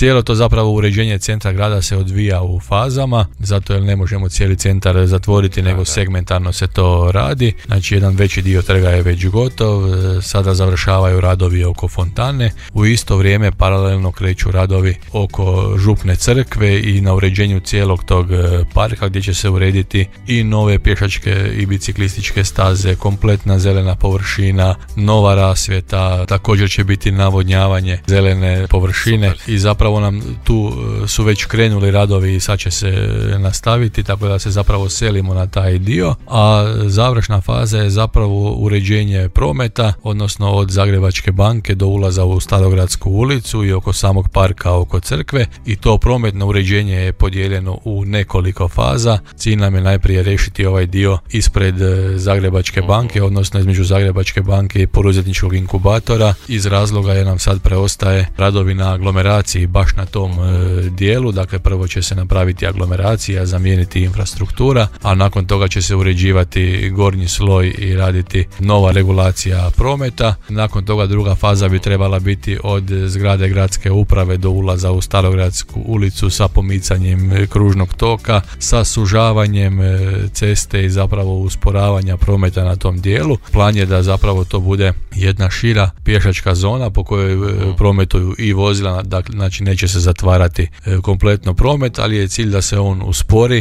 Cijelo to zapravo uređenje centra grada se odvija u fazama, zato jer ne možemo cijeli centar zatvoriti, nego segmentarno se to radi. Znači jedan veći dio trga je već gotov, sada završavaju radovi oko fontane, u isto vrijeme paralelno kreću radovi oko župne crkve i na uređenju cijelog tog parka gdje će se urediti i nove pješačke i biciklističke staze, kompletna zelena površina, nova rasvjeta, također će biti navodnjavanje zelene površine. Super. I zapravo nam tu su već krenuli radovi i sad će se nastaviti, tako da se zapravo selimo na taj dio, a završna faza je zapravo uređenje prometa, odnosno od Zagrebačke banke do ulaza u Starogradsku ulicu i oko samog parka oko crkve, i to prometno uređenje je podijeljeno u nekoliko faza. Cilj nam je najprije riješiti ovaj dio ispred Zagrebačke banke, odnosno između Zagrebačke banke i poduzetničkog inkubatora, iz razloga jer nam sad preostaje radovi na aglomeraciji baš na tom dijelu. Dakle, prvo će se napraviti aglomeracija, zamijeniti infrastruktura, a nakon toga će se uređivati gornji sloj i raditi nova regulacija prometa. Nakon toga druga faza bi trebala biti od zgrade gradske uprave do ulaza u Starogradsku ulicu sa pomicanjem kružnog toka, sa sužavanjem ceste i zapravo usporavanja prometa na tom dijelu. Plan je da zapravo to bude jedna šira pješačka zona po kojoj prometuju i vozila, dakle, znači neće se zatvarati kompletno promet, ali je cilj da se on uspori